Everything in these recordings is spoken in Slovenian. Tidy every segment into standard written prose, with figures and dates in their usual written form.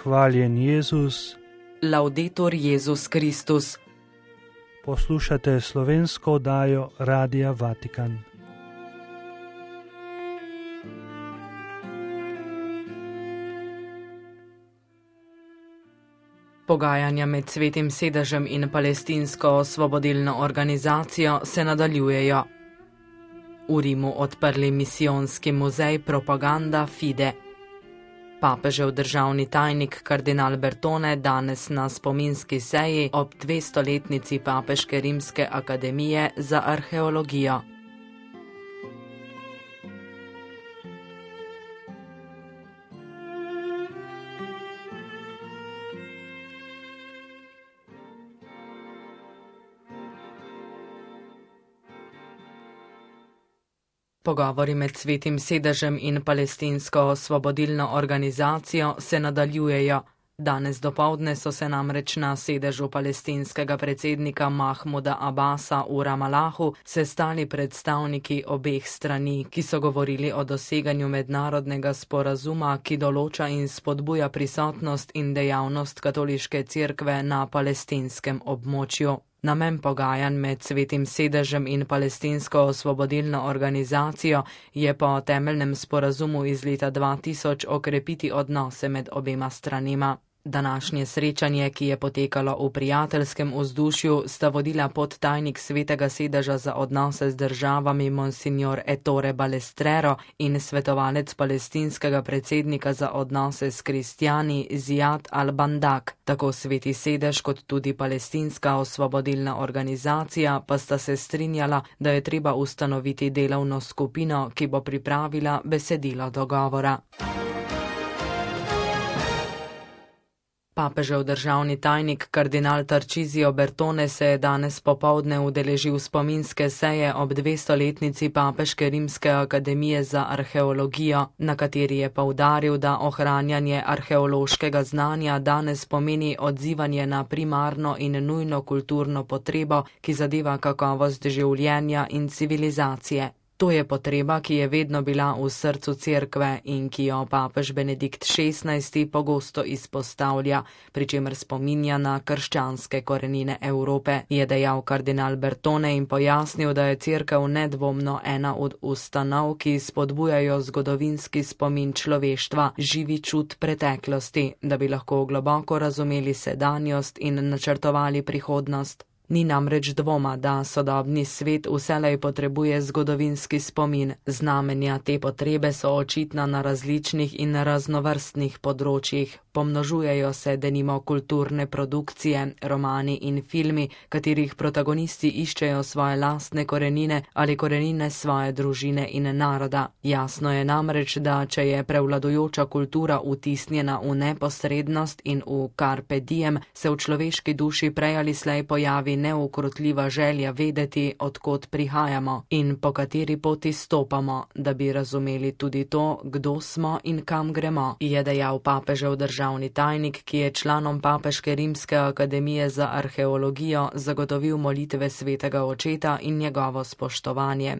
Hvaljen Jezus. Laudetur Jezus Kristus. Poslušate slovensko oddajo Radia Vatikan. Pogajanja med Svetim sedežem in palestinsko osvobodilno organizacijo se nadaljujejo. V Rimu odprli misijonski muzej Propaganda Fide. Papežev državni tajnik kardinal Bertone danes na spominski seji ob 200-letnici Papeške rimske akademije za arheologijo. Pogovori med Svetim sedežem in palestinsko osvobodilno organizacijo se nadaljujejo. Danes dopoldne so se namreč na sedežu palestinskega predsednika Mahmuda Abasa v Ramalahu sestali predstavniki obeh strani, ki so govorili o doseganju mednarodnega sporazuma, ki določa in spodbuja prisotnost in dejavnost katoliške cerkve na palestinskem območju. Namen pogajanj med Svetim sedežem in palestinsko osvobodilno organizacijo je po temeljnem sporazumu iz leta 2000 okrepiti odnose med obema stranima. Današnje srečanje, ki je potekalo v prijateljskem vzdušju, sta vodila podtajnik Svetega sedeža za odnose z državami Monsignor Ettore Balestrero in svetovalec palestinskega predsednika za odnose s kristjani Ziad al-Bandak. Tako Sveti sedež kot tudi palestinska osvobodilna organizacija pa sta se strinjala, da je treba ustanoviti delovno skupino, ki bo pripravila besedilo dogovora. Papežev državni tajnik kardinal Tarcisio Bertone se je danes popoldne udeležil spominske seje ob 200-letnici Papeške rimske akademije za arheologijo, na kateri je poudaril, da ohranjanje arheološkega znanja danes pomeni odzivanje na primarno in nujno kulturno potrebo, ki zadeva kakovost življenja in civilizacije. To je potreba, ki je vedno bila v srcu cerkve in ki jo papež Benedikt XVI pogosto izpostavlja, pri čemer spominja na krščanske korenine Evrope, je dejal kardinal Bertone in pojasnil, da je cerkev nedvomno ena od ustanov, ki spodbujajo zgodovinski spomin človeštva, živi čut preteklosti, da bi lahko globoko razumeli sedanjost in načrtovali prihodnost. Ni namreč dvoma, da sodobni svet vselej potrebuje zgodovinski spomin. Znamenja te potrebe so očitna na različnih in raznovrstnih področjih. Pomnožujejo se denimo kulturne produkcije, romani in filmi, katerih protagonisti iščejo svoje lastne korenine ali korenine svoje družine in naroda. Jasno je namreč, da če je prevladujoča kultura vtisnjena v neposrednost in v carpe diem, se v človeški duši prej ali slej pojavi neukrotljiva želja vedeti, odkot prihajamo in po kateri poti stopamo, da bi razumeli tudi to, kdo smo in kam gremo, je dejal papežev državni tajnik, ki je članom Papeške rimske akademije za arheologijo zagotovil molitve svetega očeta in njegovo spoštovanje.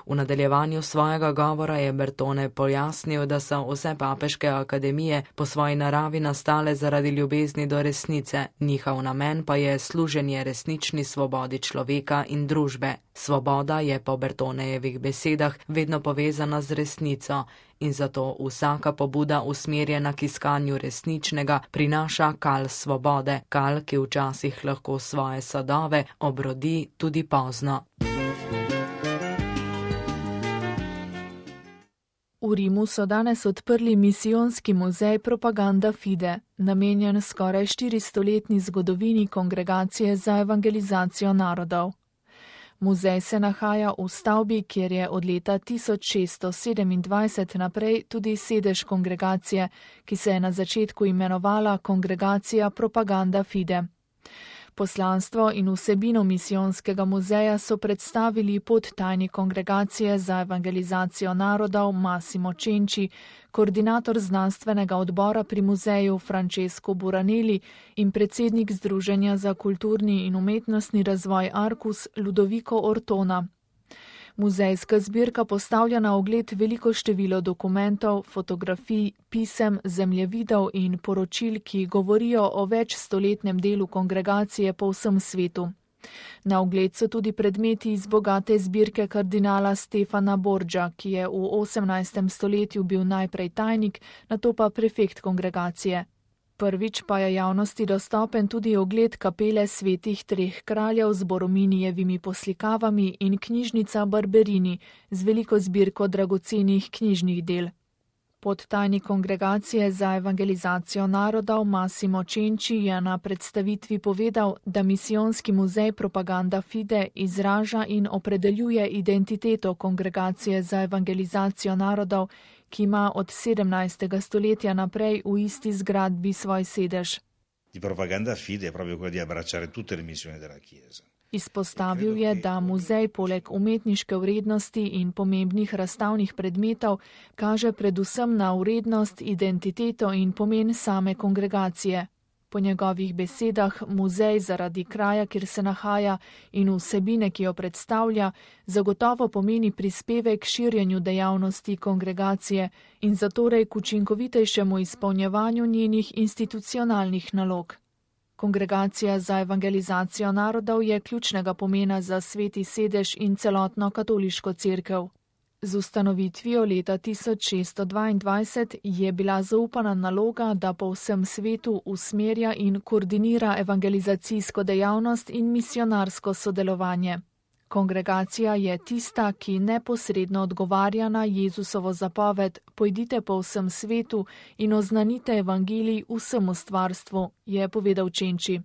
V nadaljevanju svojega govora je Bertone pojasnil, da so vse papeške akademije po svoji naravi nastale zaradi ljubezni do resnice, njihov namen pa je služenje resnični svobodi človeka in družbe. Svoboda je po Bertonejevih besedah vedno povezana z resnico in zato vsaka pobuda usmerjena k iskanju resničnega prinaša kal svobode, kal, ki včasih lahko svoje sadove obrodi tudi pozno. V Rimu so danes odprli misijonski muzej Propaganda Fide, namenjen skoraj 400-letni zgodovini Kongregacije za evangelizacijo narodov. Muzej se nahaja v stavbi, kjer je od leta 1627 naprej tudi sedež kongregacije, ki se je na začetku imenovala Kongregacija Propaganda Fide. Poslanstvo in vsebino misijonskega muzeja so predstavili podtajnik Kongregacije za evangelizacijo narodov Massimo Cenci, koordinator znanstvenega odbora pri muzeju Francesco Buranelli in predsednik Združenja za kulturni in umetnostni razvoj Arcus Ludovico Ortona. Muzejska zbirka postavlja na ogled veliko število dokumentov, fotografij, pisem, zemljevidov in poročil, ki govorijo o večstoletnem delu kongregacije po vsem svetu. Na ogled so tudi predmeti iz bogate zbirke kardinala Stefana Borgia, ki je v 18. stoletju bil najprej tajnik, nato pa prefekt kongregacije. Prvič pa je javnosti dostopen tudi ogled kapele svetih treh kraljev z Borominijevimi poslikavami in knjižnica Barberini z veliko zbirko dragocenih knjižnih del. Podtajnik kongregacije za evangelizacijo narodov Massimo Cenci je na predstavitvi povedal, da misijonski muzej Propaganda Fide izraža in opredeljuje identiteto kongregacije za evangelizacijo narodov, ki ima od 17. stoletja naprej v isti zgradbi svoj sedež. Propaganda Fide je proprio quello di abbracciare tutte le missioni della Chiesa. Izpostavil je, da muzej poleg umetniške vrednosti in pomembnih razstavnih predmetov kaže predvsem na vrednost, identiteto in pomen same kongregacije. Po njegovih besedah muzej zaradi kraja, kjer se nahaja, in vsebine, ki jo predstavlja, zagotovo pomeni prispevek k širjenju dejavnosti kongregacije in zatorej k učinkovitejšemu izpolnjevanju njenih institucionalnih nalog. Kongregacija za evangelizacijo narodov je ključnega pomena za sveti sedež in celotno katoliško cerkev. Z ustanovitvijo leta 1622 je bila zaupana naloga, da po vsem svetu usmerja in koordinira evangelizacijsko dejavnost in misionarsko sodelovanje. Kongregacija je tista, ki neposredno odgovarja na Jezusovo zapoved: pojdite po vsem svetu in oznanite evangelij vsemu stvarstvu, je povedal Cenci.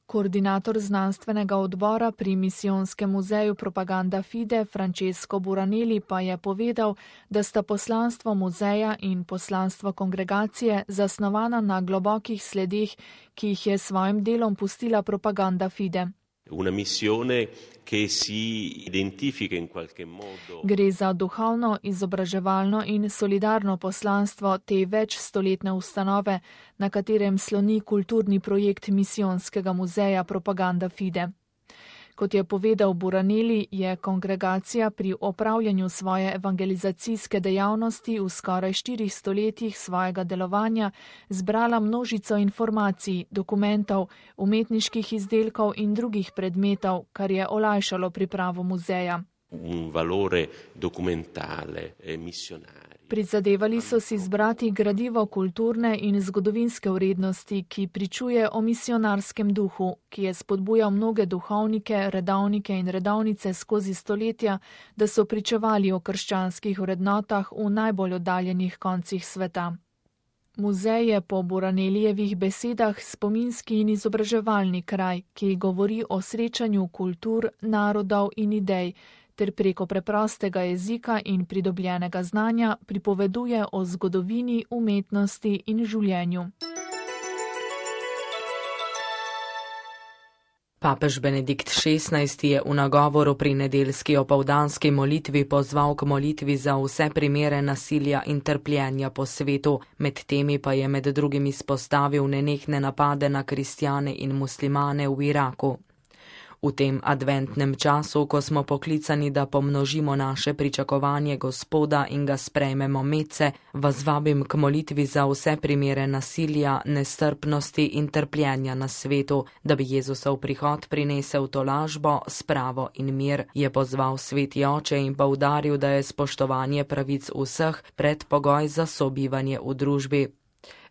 Koordinator znanstvenega odbora pri misijonskem muzeju Propaganda Fide Francesco Buranelli pa je povedal, da sta poslanstvo muzeja in poslanstvo kongregacije zasnovana na globokih sledeh, ki jih je s svojim delom pustila Propaganda Fide. Una missione che si identifica in qualche modo. Gre za duhovno, izobraževalno in solidarno poslanstvo te večstoletne ustanove, na katerem sloni kulturni projekt misijonskega muzeja Propaganda Fide. Kot je povedal Buranelli, je kongregacija pri opravljanju svoje evangelizacijske dejavnosti v skoraj 4 stoletjih svojega delovanja zbrala množico informacij, dokumentov, umetniških izdelkov in drugih predmetov, kar je olajšalo pripravo muzeja. Un valore documentale e missionario. Prizadevali so si zbrati gradivo kulturne in zgodovinske vrednosti, ki pričuje o misionarskem duhu, ki je spodbujal mnoge duhovnike, redovnike in redovnice skozi stoletja, da so pričevali o krščanskih vrednotah v najbolj oddaljenih koncih sveta. Muzej je po Buranelijevih besedah spominski in izobraževalni kraj, ki govori o srečanju kultur, narodov in idej, ter preko preprostega jezika in pridobljenega znanja pripoveduje o zgodovini, umetnosti in življenju. Papež Benedikt XVI je v nagovoru pri nedeljski opoldanski molitvi pozval k molitvi za vse primere nasilja in trpljenja po svetu, med temi pa je med drugim izpostavil nenehne napade na kristjane in muslimane v Iraku. V tem adventnem času, ko smo poklicani, da pomnožimo naše pričakovanje Gospoda in ga sprejmemo medse, vas vabim k molitvi za vse primere nasilja, nestrpnosti in trpljenja na svetu, da bi Jezusov prihod prinesel tolažbo, spravo in mir, je pozval sveti oče in poudaril, da je spoštovanje pravic vseh predpogoj za sobivanje v družbi.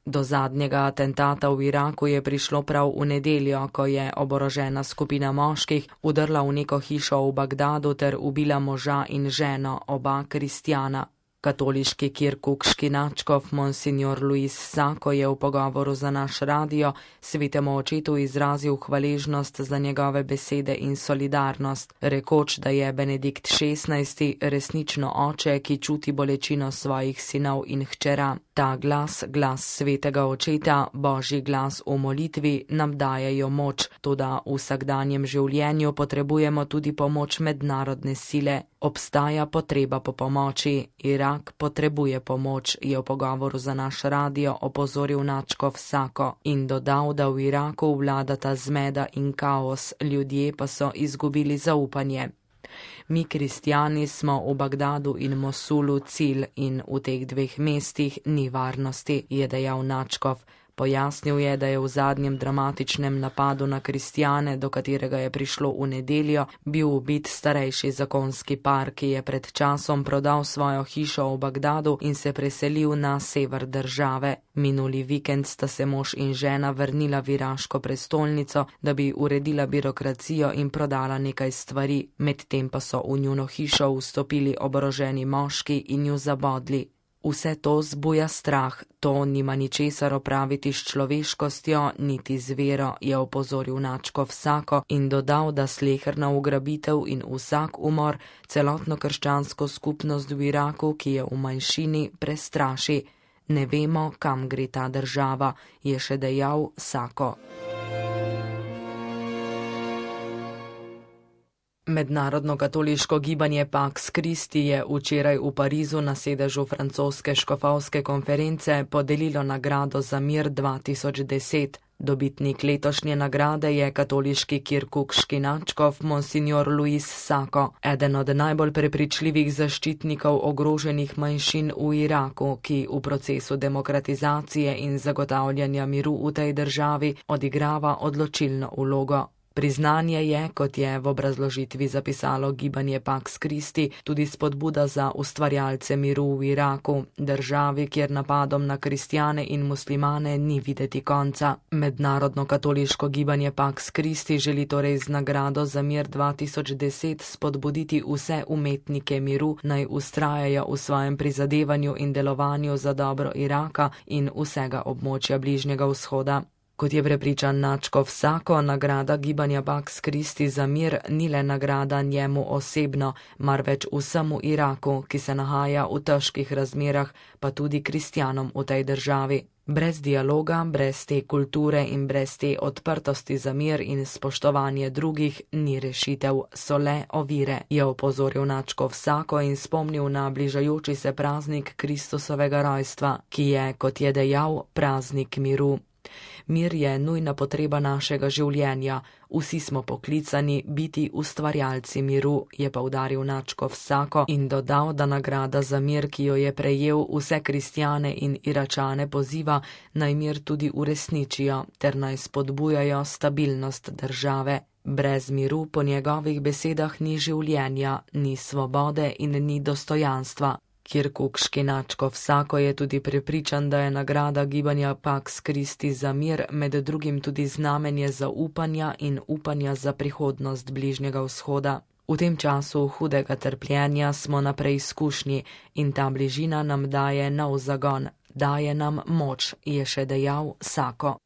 Do zadnjega atentata v Iraku je prišlo prav v nedeljo, ko je oborožena skupina moških vdrla v neko hišo v Bagdadu ter ubila moža in ženo, oba kristjana. Katoliški kirkukški nadškof Monsignor Luis Sako je v pogovoru za naš radio svetemu očetu izrazil hvaležnost za njegove besede in solidarnost, rekoč, da je Benedikt XVI resnično oče, ki čuti bolečino svojih sinov in hčera. Ta glas, glas svetega očeta, božji glas v molitvi, nam dajejo moč, toda v vsakdanjem življenju potrebujemo tudi pomoč mednarodne sile. Obstaja potreba po pomoči, Irak potrebuje pomoč, je v pogovoru za naš radio opozoril nadškof Sako in dodal, da v Iraku vladata zmeda in kaos, ljudje pa so izgubili zaupanje. Mi, kristjani, smo v Bagdadu in Mosulu cilj in v teh dveh mestih ni varnosti, je dejal Načkov. Pojasnil je, da je v zadnjem dramatičnem napadu na kristjane, do katerega je prišlo v nedeljo, bil ubit starejši zakonski par, ki je pred časom prodal svojo hišo v Bagdadu in se preselil na sever države. Minuli vikend sta se mož in žena vrnila v iraško prestolnico, da bi uredila birokracijo in prodala nekaj stvari, medtem pa so v njuno hišo vstopili oboroženi moški in ju zabodli. Vse to zbuja strah, to nima ničesar opraviti s človeškostjo, niti z vero, je opozoril Načkov Sako in dodal, da sleherna ugrabitev in vsak umor celotno krščansko skupnost v Iraku, ki je v manjšini, prestraši. Ne vemo, kam gre ta država, je še dejal Sako. Mednarodno katoliško gibanje Pax Christi je včeraj v Parizu na sedežu francoske škofovske konference podelilo nagrado za mir 2010. Dobitnik letošnje nagrade je katoliški kirkukški nadškof monsignor Luis Sako, eden od najbolj prepričljivih zaščitnikov ogroženih manjšin v Iraku, ki v procesu demokratizacije in zagotavljanja miru v tej državi odigrava odločilno vlogo. Priznanje je, kot je v obrazložitvi zapisalo gibanje Pax Christi, tudi spodbuda za ustvarjalce miru v Iraku, državi, kjer napadom na kristjane in muslimane ni videti konca. Mednarodno katoliško gibanje Pax Christi želi torej z nagrado za mir 2010 spodbuditi vse umetnike miru, naj vztrajajo v svojem prizadevanju in delovanju za dobro Iraka in vsega območja Bližnjega vzhoda. Kot je prepričan Načkov Sako, nagrada gibanja Pax Christi za mir ni le nagrada njemu osebno, marveč vsemu Iraku, ki se nahaja v težkih razmerah, pa tudi kristjanom v tej državi. Brez dialoga, brez te kulture in brez te odprtosti za mir in spoštovanje drugih ni rešitev, so le ovire, je opozoril Načkov Sako in spomnil na bližajoči se praznik Kristusovega rojstva, ki je, kot je dejal, praznik miru. Mir je nujna potreba našega življenja, vsi smo poklicani biti ustvarjalci miru, je poudaril Načkov Sako in dodal, da nagrada za mir, ki jo je prejel, vse kristjane in Iračane poziva, naj mir tudi uresničijo ter naj spodbujajo stabilnost države. Brez miru po njegovih besedah ni življenja, ni svobode in ni dostojanstva. Kirkukški Načkov Sako je tudi prepričan, da je nagrada gibanja Pax Christi za mir med drugim tudi znamenje zaupanja in upanja za prihodnost Bližnjega vzhoda. V tem času hudega trpljenja smo na preizkušnji in ta bližina nam daje nov zagon, daje nam moč, je še dejal Sako.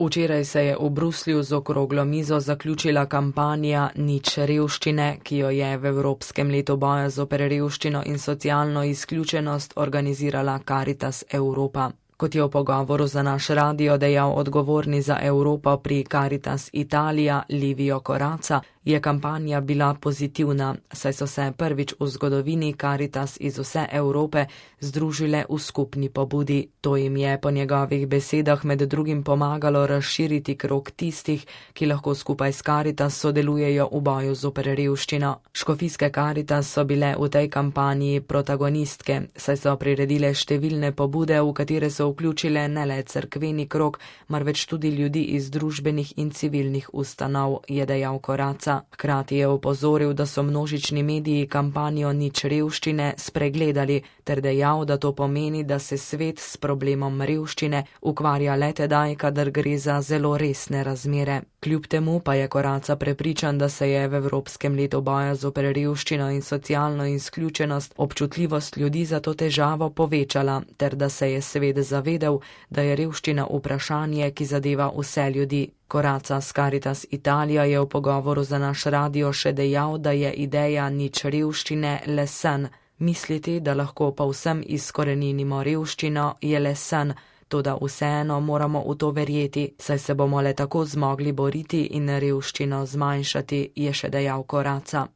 Včeraj se je v Bruslju z okroglo mizo zaključila kampanja Nič revščine, ki jo je v Evropskem letu boja zoper revščino in socialno izključenost organizirala Caritas Europa. Kot je v pogovoru za naš radio dejal odgovorni za Evropo pri Caritas Italija Livio Corazza, je kampanja bila pozitivna, saj so se prvič v zgodovini Caritas iz vse Evrope združile v skupni pobudi. To jim je po njegovih besedah med drugim pomagalo razširiti krog tistih, ki lahko skupaj s Caritas sodelujejo v boju zoper revščino. Škofijske Caritas so bile v tej kampanji protagonistke, saj so priredile številne pobude, v katere so vključile ne le cerkveni krog, marveč tudi ljudi iz družbenih in civilnih ustanov, je dejal Corazza. Hkrati je opozoril, da so množični mediji kampanjo Nič revščine spregledali, ter dejal, da to pomeni, da se svet s problemom revščine ukvarja le tedaj, kadar gre za zelo resne razmere. Kljub temu pa je Corazza prepričan, da se je v Evropskem letu boja zoper revščino in socialno izključenost občutljivost ljudi za to težavo povečala, ter da se je svet zavedel, da je revščina vprašanje, ki zadeva vse ljudi. Corazza s Caritas Italija je v pogovoru za naš radio še dejal, da je ideja Nič revščine le sen. Misliti, da lahko povsem izkoreninimo revščino, je le sen, toda vseeno moramo v to verjeti, saj se bomo le tako zmogli boriti in revščino zmanjšati, je še dejal Corazza.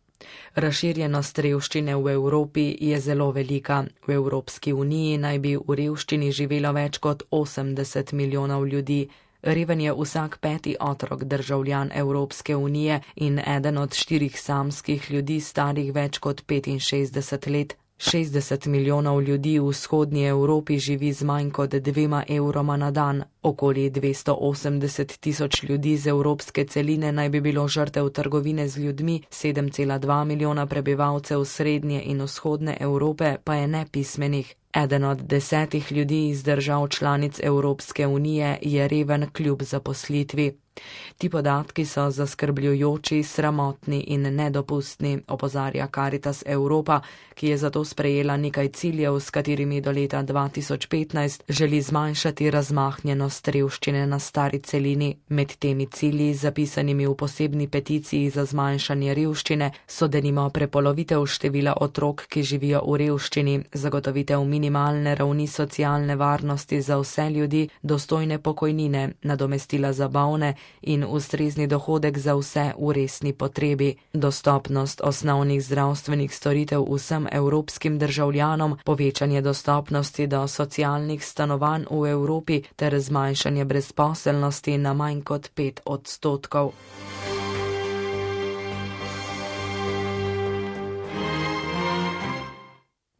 Razširjenost revščine v Evropi je zelo velika. V Evropski uniji naj bi v revščini živelo več kot 80 milijonov ljudi. Reven je vsak 5. otrok državljan Evropske unije in eden od 4 samskih ljudi starih več kot 65 let. 60 milijonov ljudi v vzhodnji Evropi živi z manj kot 2 evroma na dan. Okoli 280 tisoč ljudi z evropske celine naj bi bilo žrtev trgovine z ljudmi, 7,2 milijona prebivalcev srednje in vzhodne Evrope pa je nepismenih. Eden od 10 ljudi iz držav članic Evropske unije je reven kljub zaposlitvi. Ti podatki so zaskrbljujoči, sramotni in nedopustni, opozarja Caritas Evropa, ki je zato sprejela nekaj ciljev, s katerimi do leta 2015 želi zmanjšati razmahnjenost revščine na stari celini. Med temi cilji, zapisanimi v posebni peticiji za zmanjšanje revščine, so denimo prepolovitev števila otrok, ki živijo v revščini, zagotovitev minimalne ravni socialne varnosti za vse ljudi, dostojne pokojnine, nadomestila za bolne in ustrezni dohodek za vse v resni potrebi, dostopnost osnovnih zdravstvenih storitev vsem evropskim državljanom, povečanje dostopnosti do socialnih stanovanj v Evropi ter zmanjšanje brezposelnosti na manj kot 5%.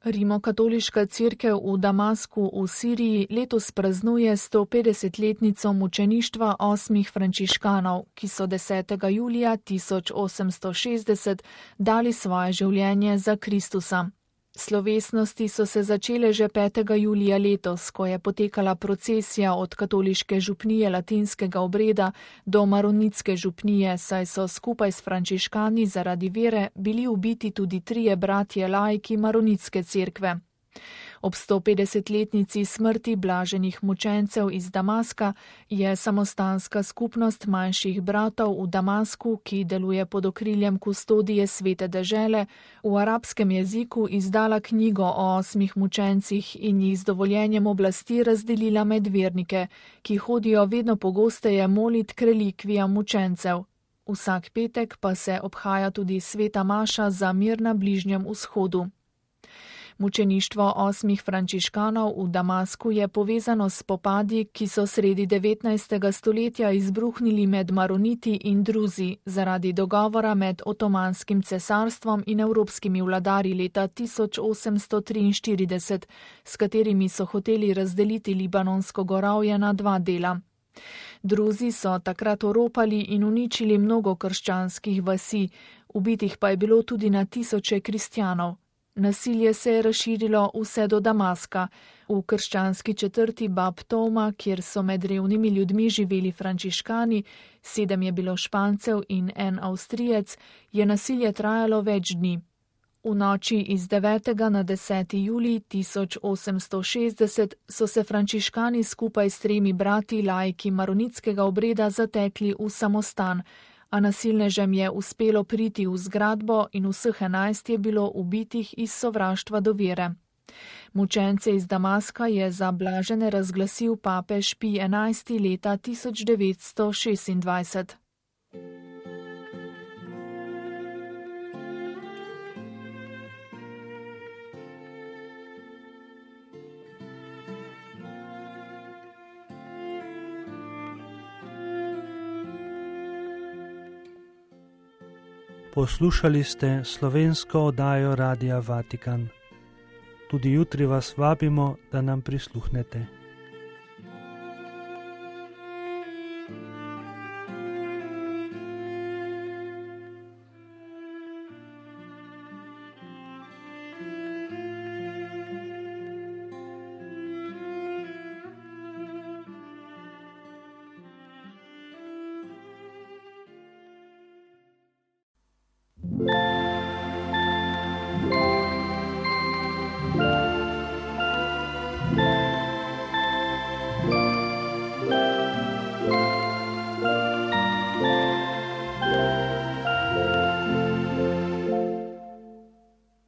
Rimokatoliška cerkev v Damasku v Siriji letos praznuje 150-letnico mučeništva 8 frančiškanov, ki so 10. julija 1860 dali svoje življenje za Kristusa. Slovesnosti so se začele že 5. julija letos, ko je potekala procesija od katoliške župnije latinskega obreda do maronitske župnije, saj so skupaj s frančiškani zaradi vere bili ubiti tudi 3 bratje laiki maronitske cerkve. Ob 150-letnici smrti blaženih mučencev iz Damaska je samostanska skupnost manjših bratov v Damasku, ki deluje pod okriljem kustodije Svete dežele, v arabskem jeziku izdala knjigo o 8 mučencih in jih z dovoljenjem oblasti razdelila med vernike, ki hodijo vedno pogosteje molit k relikvijam mučencev. Vsak petek pa se obhaja tudi sveta maša za mir na Bližnjem vzhodu. Mučeništvo 8 frančiškanov v Damasku je povezano s spopadi, ki so sredi 19. stoletja izbruhnili med maroniti in druzi zaradi dogovora med Otomanskim cesarstvom in evropskimi vladarji leta 1843, s katerimi so hoteli razdeliti Libanonsko gorovje na 2 dela. Druzi so takrat oropali in uničili mnogo krščanskih vasi, ubitih pa je bilo tudi na tisoče kristjanov. Nasilje se je razširilo vse do Damaska. V krščanski četrti Bab Toma, kjer so med revnimi ljudmi živeli frančiškani, 7 je bilo Špancev in 1 Avstrijec, je nasilje trajalo več dni. V noči iz 9. na 10. julij 1860 so se frančiškani skupaj s 3 brati laiki maronitskega obreda zatekli v samostan, a nasilnežem je uspelo priti v zgradbo in vseh 11 je bilo ubitih iz sovraštva do vere. Mučence iz Damaska je za blažene razglasil papež Pij XI leta 1926. Poslušali ste slovensko oddajo Radia Vatikan. Tudi jutri vas vabimo, da nam prisluhnete.